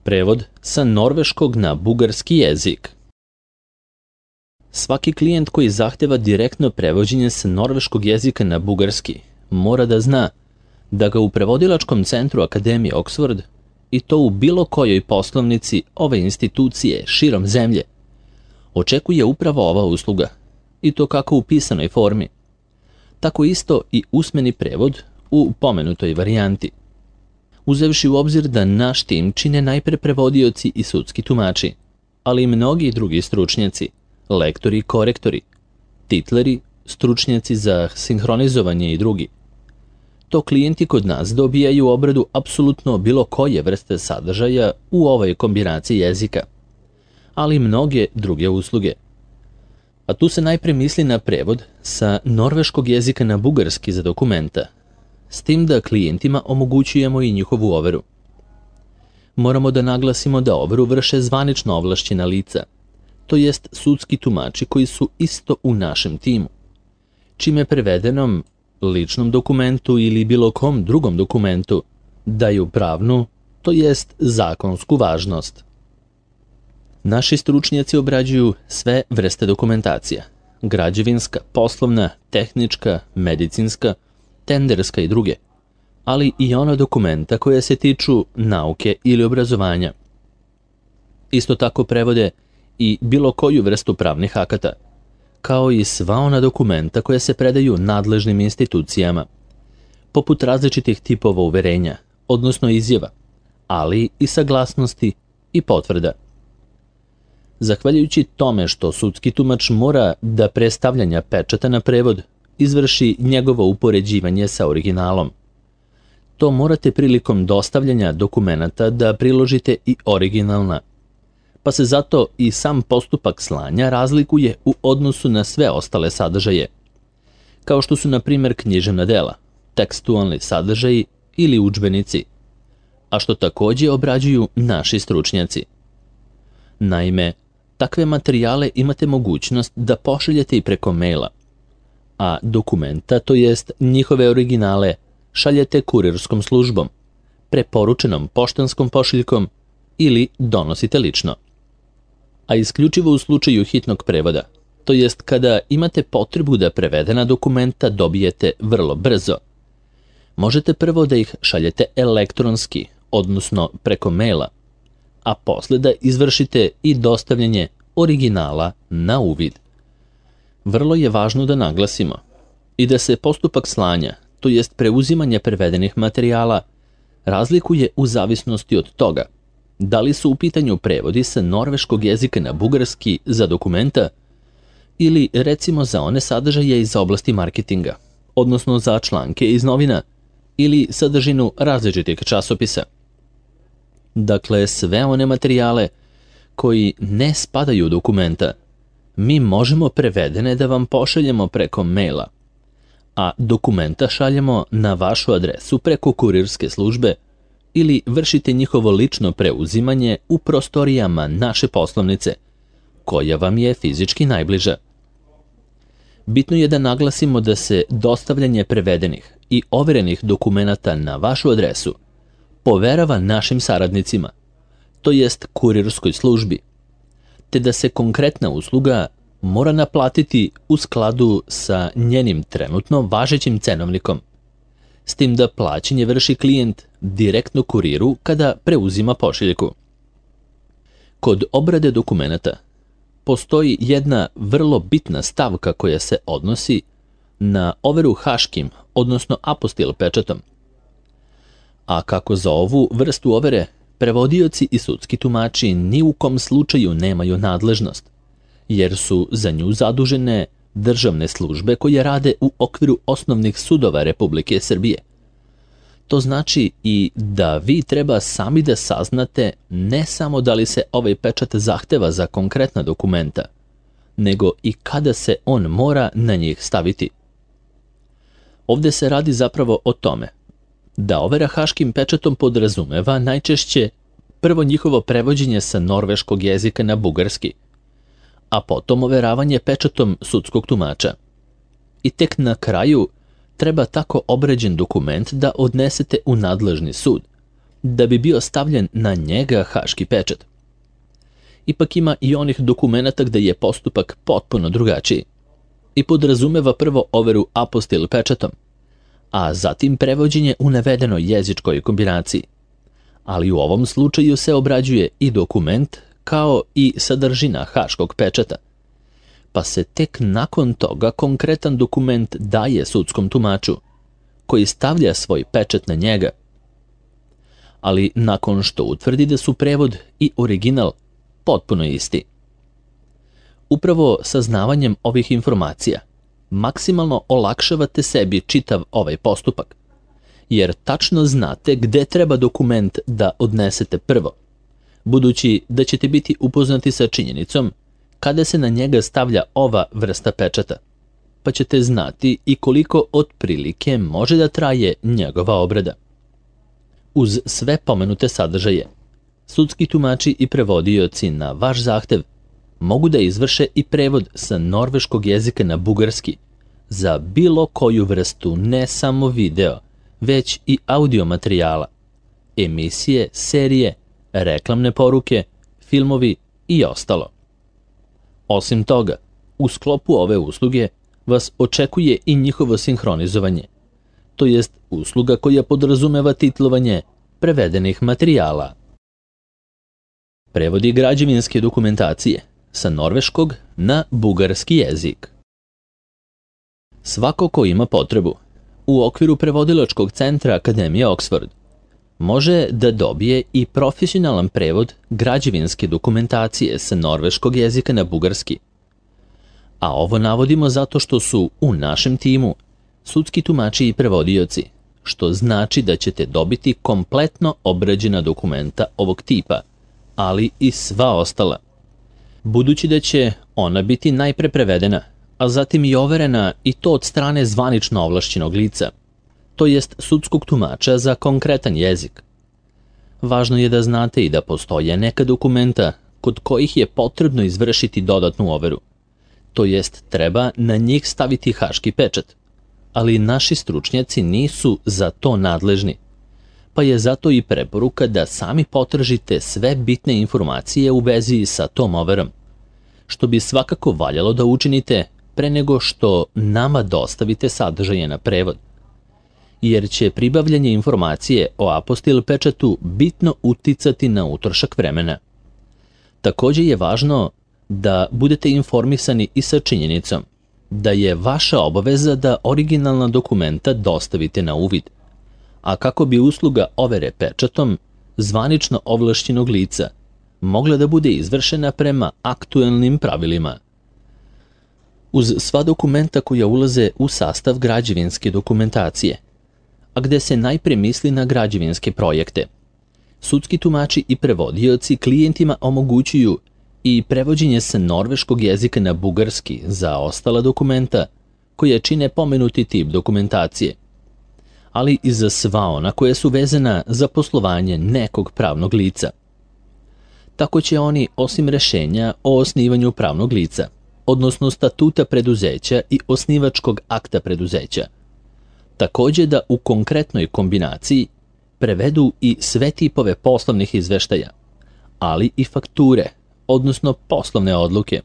Prevod sa norveškog na bugarski jezik. Svaki klijent koji zahteva direktno prevođenje sa norveškog jezika na bugarski mora da zna da ga u prevodilačkom centru Akademije Oxford, i to u bilo kojoj poslovnici ove institucije širom zemlje, očekuje upravo ova usluga, i to kako u pisanoj formi, tako isto i usmeni prevod u pomenutoj varijanti. Uzevši u obzir da naš tim čine najpre prevodioci i sudski tumači, ali i mnogi drugi stručnjaci, lektori i korektori, titleri, stručnjaci za sinhronizovanje i drugi. To klijenti kod nas dobijaju obradu apsolutno bilo koje vrste sadržaja u ovoj kombinaciji jezika, ali i mnoge druge usluge. A tu se najpre misli na prevod sa norveškog jezika na bugarski za dokumenta, s tim da klijentima omogućujemo i njihovu overu. Moramo da naglasimo da overu vrše zvanično ovlašćena lica, to jest sudski tumači koji su isto u našem timu, čime prevedenom ličnom dokumentu ili bilo kom drugom dokumentu daju pravnu, to jest zakonsku važnost. Naši stručnjaci obrađuju sve vrste dokumentacija, građevinska, poslovna, tehnička, medicinska, tenderska i druge, ali i ona dokumenta koja se tiču nauke ili obrazovanja. Isto tako prevode i bilo koju vrstu pravnih akata, kao i sva ona dokumenta koja se predaju nadležnim institucijama, poput različitih tipova uverenja, odnosno izjava, ali i saglasnosti i potvrda. Zahvaljujući tome što sudski tumač mora da pre stavljanja pečata na prevod izvrši njegovo upoređivanje sa originalom, to morate prilikom dostavljanja dokumenata da priložite i originalna, pa se zato i sam postupak slanja razlikuje u odnosu na sve ostale sadržaje, kao što su na primjer književna dela, tekstualni sadržaji ili udžbenici, a što takođe obrađuju naši stručnjaci. Naime, takve materijale imate mogućnost da pošaljete i preko maila, a dokumenta, to jest njihove originale, šaljete kurirskom službom, preporučenom poštanskom pošiljkom ili donosite lično. A isključivo u slučaju hitnog prevoda, to jest kada imate potrebu da prevedena dokumenta dobijete vrlo brzo, možete prvo da ih šaljete elektronski, odnosno preko maila, a posle da izvršite i dostavljanje originala na uvid. Vrlo je važno da naglasimo i da se postupak slanja, to jest preuzimanje prevedenih materijala, razlikuje u zavisnosti od toga da li su u pitanju prevodi sa norveškog jezika na bugarski za dokumenta ili recimo za one sadržaje iz oblasti marketinga, odnosno za članke iz novina ili sadržinu različitih časopisa. Dakle, sve one materijale koji ne spadaju u dokumenta, mi možemo prevedene da vam pošaljemo preko maila, a dokumenta šaljemo na vašu adresu preko kurirske službe ili vršite njihovo lično preuzimanje u prostorijama naše poslovnice, koja vam je fizički najbliža. Bitno je da naglasimo da se dostavljanje prevedenih i overenih dokumenata na vašu adresu poverava našim saradnicima, to jest kurirskoj službi, te da se konkretna usluga mora naplatiti u skladu sa njenim trenutno važećim cenovnikom, s tim da plaćanje vrši klijent direktno kuriru kada preuzima pošiljku. Kod obrade dokumenata postoji jedna vrlo bitna stavka koja se odnosi na overu haškim, odnosno apostil pečatom. A kako za ovu vrstu overe prevodioci i sudski tumači ni u kom slučaju nemaju nadležnost, jer su za nju zadužene državne službe koje rade u okviru osnovnih sudova Republike Srbije. To znači i da vi treba sami da saznate ne samo da li se ovaj pečat zahteva za konkretna dokumenta, nego i kada se on mora na njih staviti. Ovde se radi zapravo o tome da overa haškim pečatom podrazumeva najčešće prvo njihovo prevođenje sa norveškog jezika na bugarski, a potom overavanje pečatom sudskog tumača. I tek na kraju treba tako obrađen dokument da odnesete u nadležni sud, da bi bio stavljen na njega haški pečat. Ipak ima i onih dokumenata gde je postupak potpuno drugačiji i podrazumeva prvo overu apostil pečatom, a zatim prevođenje u navedenoj jezičkoj kombinaciji. Ali u ovom slučaju se obrađuje i dokument kao i sadržina haškog pečata, pa se tek nakon toga konkretan dokument daje sudskom tumaču, koji stavlja svoj pečat na njega. Ali nakon što utvrdi da su prevod i original potpuno isti. Upravo saznavanjem ovih informacija maksimalno olakšavate sebi čitav ovaj postupak, jer tačno znate gde treba dokument da odnesete prvo, budući da ćete biti upoznati sa činjenicom kada se na njega stavlja ova vrsta pečata, pa ćete znati i koliko otprilike može da traje njegova obrada. Uz sve pomenute sadržaje, sudski tumači i prevodioci na vaš zahtev mogu da izvrše i prevod sa norveškog jezika na bugarski za bilo koju vrstu ne samo video, već i audio materijala, emisije, serije, reklamne poruke, filmovi i ostalo. Osim toga, u sklopu ove usluge vas očekuje i njihovo sinhronizovanje, to jest usluga koja podrazumeva titlovanje prevedenih materijala. Prevodi građevinske dokumentacije sa norveškog na bugarski jezik. Svako ko ima potrebu, u okviru prevodilačkog centra Akademije Oxford, može da dobije i profesionalan prevod građevinske dokumentacije sa norveškog jezika na bugarski. A ovo navodimo zato što su u našem timu sudski tumači i prevodioci, što znači da ćete dobiti kompletno obrađena dokumenta ovog tipa, ali i sva ostala. Budući da će ona biti najpre prevedena, a zatim i overena i to od strane zvanično ovlašćenog lica, to jest sudskog tumača za konkretan jezik. Važno je da znate i da postoje neka dokumenta kod kojih je potrebno izvršiti dodatnu overu, to jest treba na njih staviti haški pečat, ali naši stručnjaci nisu za to nadležni, pa je zato i preporuka da sami potražite sve bitne informacije u vezi sa tom overom, što bi svakako valjalo da učinite pre nego što nama dostavite sadržaje na prevod, jer će pribavljanje informacije o apostil pečatu bitno uticati na utrošak vremena. Takođe je važno da budete informisani i sa činjenicom da je vaša obaveza da originalna dokumenta dostavite na uvid, a kako bi usluga overe pečatom zvanično ovlašćenog lica mogla da bude izvršena prema aktuelnim pravilima. Uz sva dokumenta koja ulaze u sastav građevinske dokumentacije, a gde se najpre misli na građevinske projekte, sudski tumači i prevodioci klijentima omogućuju i prevođenje sa norveškog jezika na bugarski za ostala dokumenta koja čine pomenuti tip dokumentacije, ali i za sva ona koja su vezana za poslovanje nekog pravnog lica. Tako će oni, osim rešenja o osnivanju pravnog lica, odnosno statuta preduzeća i osnivačkog akta preduzeća, takođe da u konkretnoj kombinaciji prevedu i sve tipove poslovnih izveštaja, ali i fakture, odnosno poslovne odluke.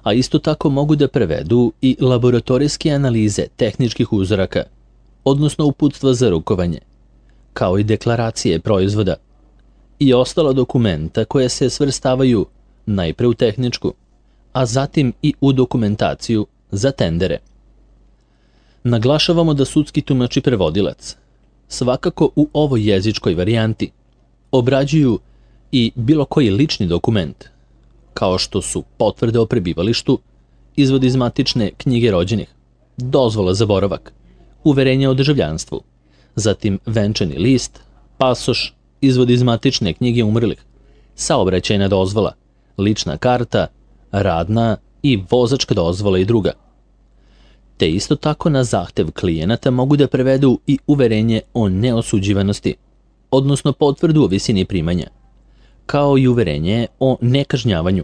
A isto tako mogu da prevedu i laboratorijske analize tehničkih uzoraka, odnosno uputstva za rukovanje, kao i deklaracije proizvoda i ostala dokumenta koje se svrstavaju najpre u tehničku, a zatim i u dokumentaciju za tendere. Naglašavamo da sudski tumač i prevodilac, svakako u ovoj jezičkoj varijanti, obrađuju i bilo koji lični dokument, kao što su potvrde o prebivalištu, izvod iz matične knjige rođenih, dozvola za boravak, uverenje o državljanstvu, zatim venčani list, pasoš, izvod iz matične knjige umrlih, saobraćajna dozvola, lična karta, radna i vozačka dozvola i druga. Te isto tako na zahtev klijenata mogu da prevedu i uverenje o neosuđivanosti, odnosno potvrdu o visini primanja, kao i uverenje o nekažnjavanju,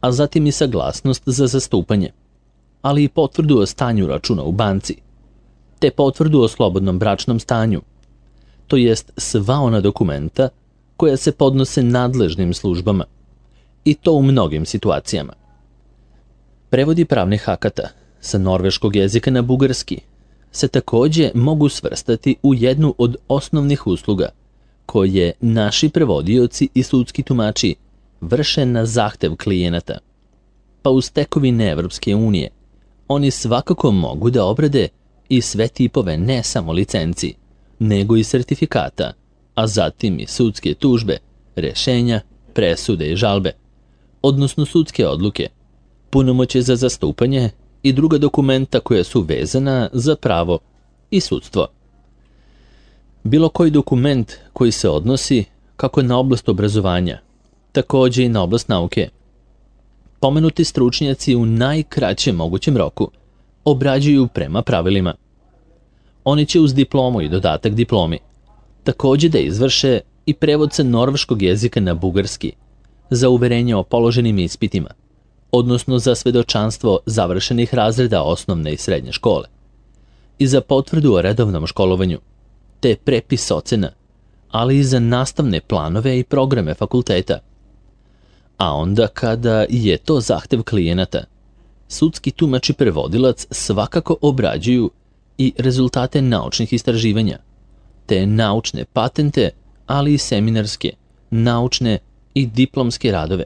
a zatim i saglasnost za zastupanje, ali i potvrdu o stanju računa u banci, te potvrdu o slobodnom bračnom stanju, to jest sva ona dokumenta koja se podnose nadležnim službama, i to u mnogim situacijama. Prevodi pravnih akata sa norveškog jezika na bugarski se takođe mogu svrstati u jednu od osnovnih usluga koje naši prevodioci i sudski tumači vrše na zahtev klijenata. Pa uz tekovine Evropske unije oni svakako mogu da obrade i sve tipove ne samo licenci, nego i sertifikata, a zatim i sudske tužbe, rešenja, presude i žalbe, odnosno sudske odluke, punomoćje za zastupanje i druga dokumenta koja su vezana za pravo i sudstvo. Bilo koji dokument koji se odnosi kako na oblast obrazovanja, takođe i na oblast nauke. Pomenuti stručnjaci u najkraćem mogućem roku obrađuju prema pravilima. Oni će uz diplomu i dodatak diplomi takođe da izvrše i prevod sa norveškog jezika na bugarski za uverenje o položenim ispitima, odnosno za svedočanstvo završenih razreda osnovne i srednje škole, i za potvrdu o redovnom školovanju, te prepis ocena, ali i za nastavne planove i programe fakulteta. A onda kada je to zahtev klijenata, sudski tumač i prevodilac svakako obrađuju i rezultate naučnih istraživanja, te naučne patente, ali i seminarske, naučne i diplomske radove.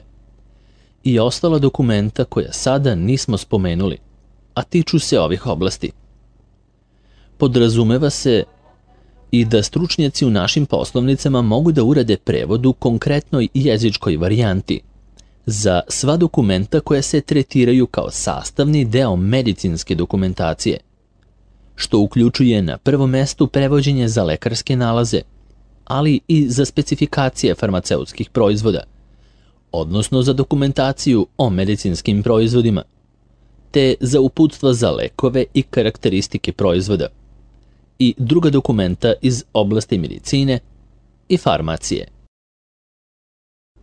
I ostala dokumenta koja sada nismo spomenuli, a tiču se ovih oblasti. Podrazumeva se i da stručnjaci u našim poslovnicama mogu da urade prevod u konkretnoj jezičkoj varijanti za sva dokumenta koja se tretiraju kao sastavni deo medicinske dokumentacije, što uključuje na prvom mestu prevođenje za lekarske nalaze, ali i za specifikacije farmaceutskih proizvoda, odnosno za dokumentaciju o medicinskim proizvodima, te za uputstva za lekove i karakteristike proizvoda i druga dokumenta iz oblasti medicine i farmacije.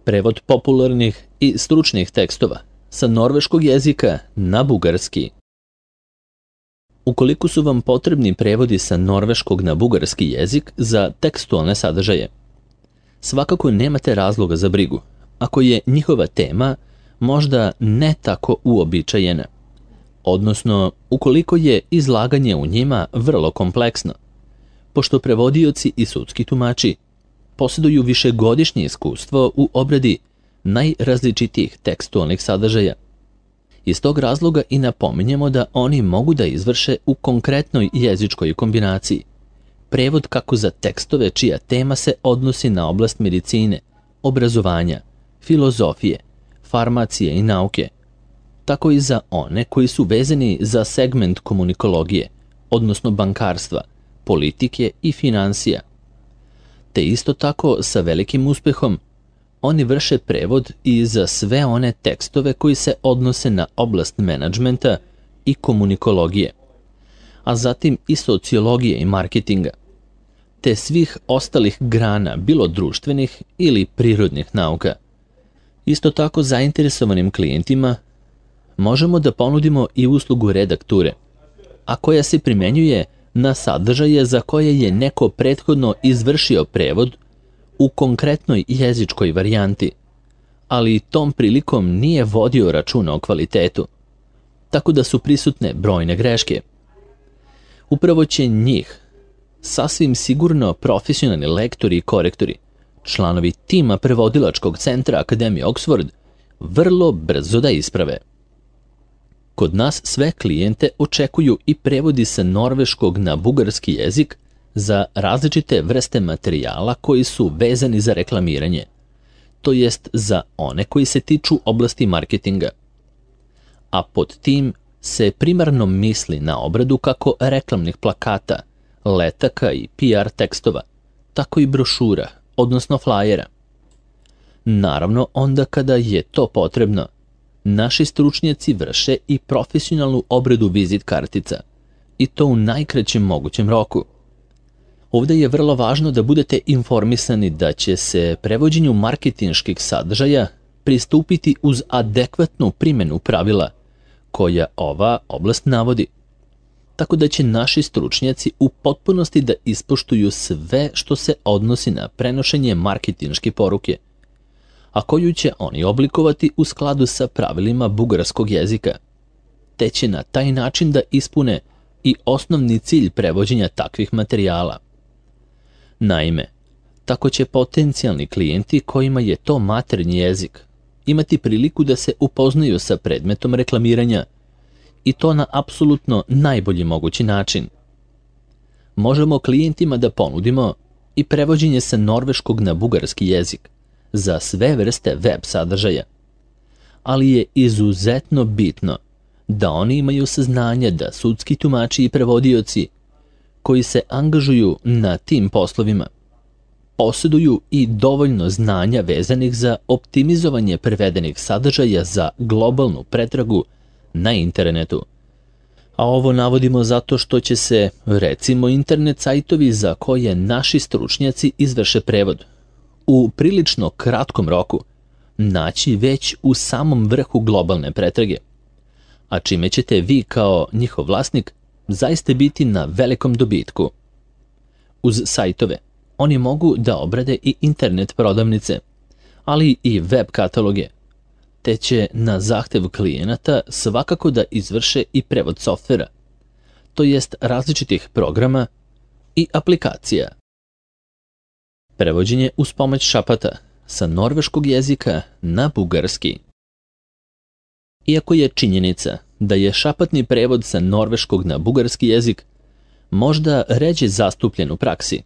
Prevod popularnih i stručnih tekstova sa norveškog jezika na bugarski. Ukoliko su vam potrebni prevodi sa norveškog na bugarski jezik za tekstualne sadržaje, svakako nemate razloga za brigu, ako je njihova tema možda ne tako uobičajena, odnosno ukoliko je izlaganje u njima vrlo kompleksno, pošto prevodioci i sudski tumači posjeduju višegodišnje iskustvo u obradi najrazličitijih tekstualnih sadržaja. Iz tog razloga i napominjemo da oni mogu da izvrše u konkretnoj jezičkoj kombinaciji prevod kako za tekstove čija tema se odnosi na oblast medicine, obrazovanja, filozofije, farmacije i nauke, tako i za one koji su vezani za segment komunikologije, odnosno bankarstva, politike i finansija. Te isto tako sa velikim uspehom oni vrše prevod i za sve one tekstove koji se odnose na oblast menadžmenta i komunikologije, a zatim i sociologije i marketinga, te svih ostalih grana, bilo društvenih ili prirodnih nauka. Isto tako zainteresovanim klijentima možemo da ponudimo i uslugu redakture, a koja se primenjuje na sadržaje za koje je neko prethodno izvršio prevod u konkretnoj jezičkoj varijanti, ali tom prilikom nije vodio računa o kvalitetu, tako da su prisutne brojne greške. Upravo će njih sasvim sigurno profesionalni lektori i korektori, članovi tima prevodilačkog centra Akademije Oxford, vrlo brzo da isprave. Kod nas sve klijente očekuju i prevodi sa norveškog na bugarski jezik za različite vrste materijala koji su vezani za reklamiranje, to jest za one koji se tiču oblasti marketinga. A pod tim se primarno misli na obradu kako reklamnih plakata, letaka i PR tekstova, tako i brošura, odnosno flajera. Naravno, onda kada je to potrebno, naši stručnjaci vrše i profesionalnu obradu vizit kartica, i to u najkraćem mogućem roku. Ovdje je vrlo važno da budete informisani da će se prevođenju marketinških sadržaja pristupiti uz adekvatnu primjenu pravila koja ova oblast navodi. tako da će naši stručnjaci u potpunosti da ispoštuju sve što se odnosi na prenošenje marketinške poruke, a koju će oni oblikovati u skladu sa pravilima bugarskog jezika, te će na taj način da ispune i osnovni cilj prevođenja takvih materijala. Naime, tako će potencijalni klijenti kojima je to maternji jezik imati priliku da se upoznaju sa predmetom reklamiranja i to na apsolutno najbolji mogući način. Možemo klijentima da ponudimo i prevođenje sa norveškog na bugarski jezik za sve vrste web sadržaja, ali je izuzetno bitno da oni imaju saznanje da sudski tumači i prevodioci koji se angažuju na tim poslovima posjeduju i dovoljno znanja vezanih za optimizovanje prevedenih sadržaja za globalnu pretragu na internetu. A ovo navodimo zato što će se, recimo, internet sajtovi za koje naši stručnjaci izvrše prevod u prilično kratkom roku naći već u samom vrhu globalne pretrage, a čime ćete vi kao njihov vlasnik zaista biti na velikom dobitku. Uz sajtove oni mogu da obrade i internet prodavnice, ali i web kataloge, te će na zahtev klijenata svakako da izvrše i prevod softvera, to jest različitih programa i aplikacija. Prevođenje uz pomoć šapata sa norveškog jezika na bugarski. Iako je činjenica da je šapatni prevod sa norveškog na bugarski jezik možda ređe zastupljen u praksi,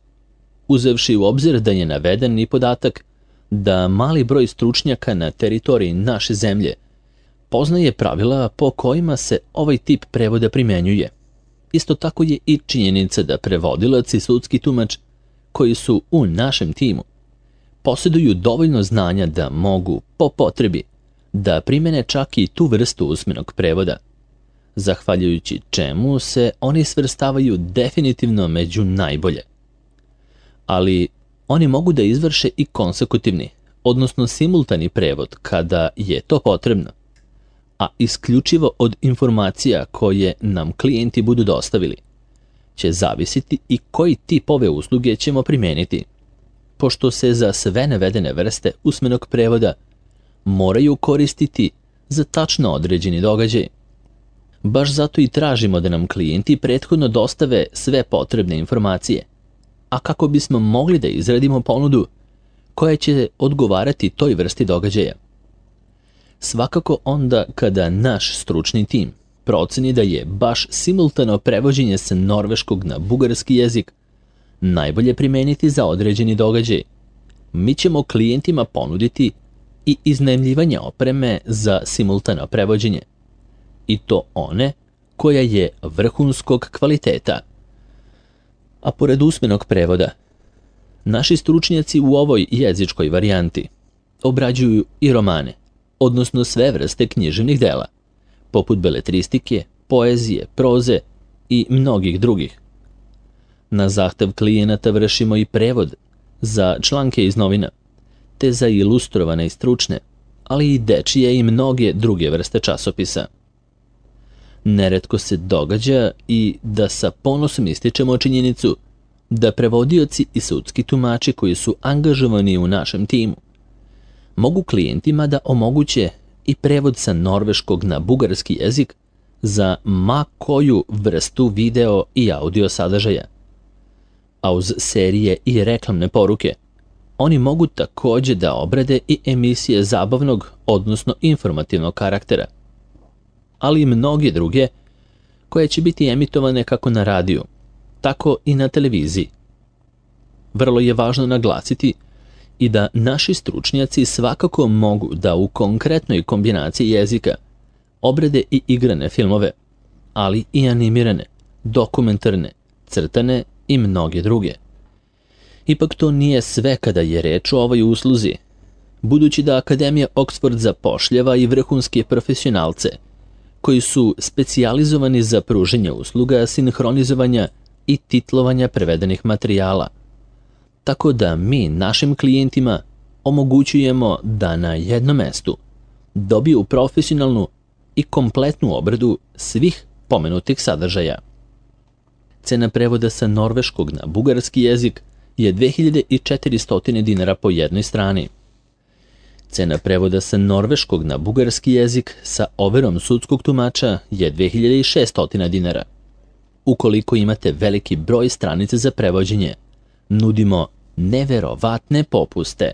uzevši u obzir da je naveden i podatak da mali broj stručnjaka na teritoriji naše zemlje poznaje pravila po kojima se ovaj tip prevoda primenjuje. Isto tako je i činjenica da prevodilac i sudski tumač koji su u našem timu posjeduju dovoljno znanja da mogu, po potrebi, da primene čak i tu vrstu usmenog prevoda, zahvaljujući čemu se oni svrstavaju definitivno među najbolje. Ali oni mogu da izvrše i konsekutivni, odnosno simultani prevod kada je to potrebno, a isključivo od informacija koje nam klijenti budu dostavili će zavisiti i koji tip ove usluge ćemo primijeniti, pošto se za sve navedene vrste usmenog prevoda moraju koristiti za tačno određeni događaj. Baš zato i tražimo da nam klijenti prethodno dostave sve potrebne informacije, a kako bismo mogli da izradimo ponudu koja će odgovarati toj vrsti događaja. Svakako onda kada naš stručni tim proceni da je baš simultano prevođenje sa norveškog na bugarski jezik najbolje primeniti za određeni događaj, mi ćemo klijentima ponuditi i iznajmljivanje opreme za simultano prevođenje, i to one koja je vrhunskog kvaliteta. A pored usmenog prevoda, naši stručnjaci u ovoj jezičkoj varijanti obrađuju i romane, odnosno sve vrste književnih dela, poput beletristike, poezije, proze i mnogih drugih. Na zahtev klijenata vršimo i prevod za članke iz novina, te za ilustrovane i stručne, ali i dečije i mnoge druge vrste časopisa. Neretko se događa i da sa ponosom ističemo činjenicu da prevodioci i sudski tumači koji su angažovani u našem timu mogu klijentima da omoguće i prevod sa norveškog na bugarski jezik za ma koju vrstu video i audio sadržaja. A uz serije i reklamne poruke, oni mogu također da obrade i emisije zabavnog, odnosno informativnog karaktera, ali i mnoge druge koje će biti emitovane kako na radiju, tako i na televiziji. Vrlo je važno naglasiti i da naši stručnjaci svakako mogu da u konkretnoj kombinaciji jezika obrade i igrane filmove, ali i animirane, dokumentarne, crtane i mnoge druge. Ipak to nije sve kada je reč o ovoj usluzi, budući da Akademija Oxford zapošljava i vrhunske profesionalce koji su specijalizovani za pruženje usluga sinhronizovanja i titlovanja prevedenih materijala. Tako da mi našim klijentima omogućujemo da na jednom mestu dobiju profesionalnu i kompletnu obradu svih pomenutih sadržaja. Cena prevoda sa norveškog na bugarski jezik je 2400 dinara po jednoj strani. Cena prevoda sa norveškog na bugarski jezik sa overom sudskog tumača je 2600 dinara. Ukoliko imate veliki broj stranica za prevođenje, nudimo neverovatne popuste.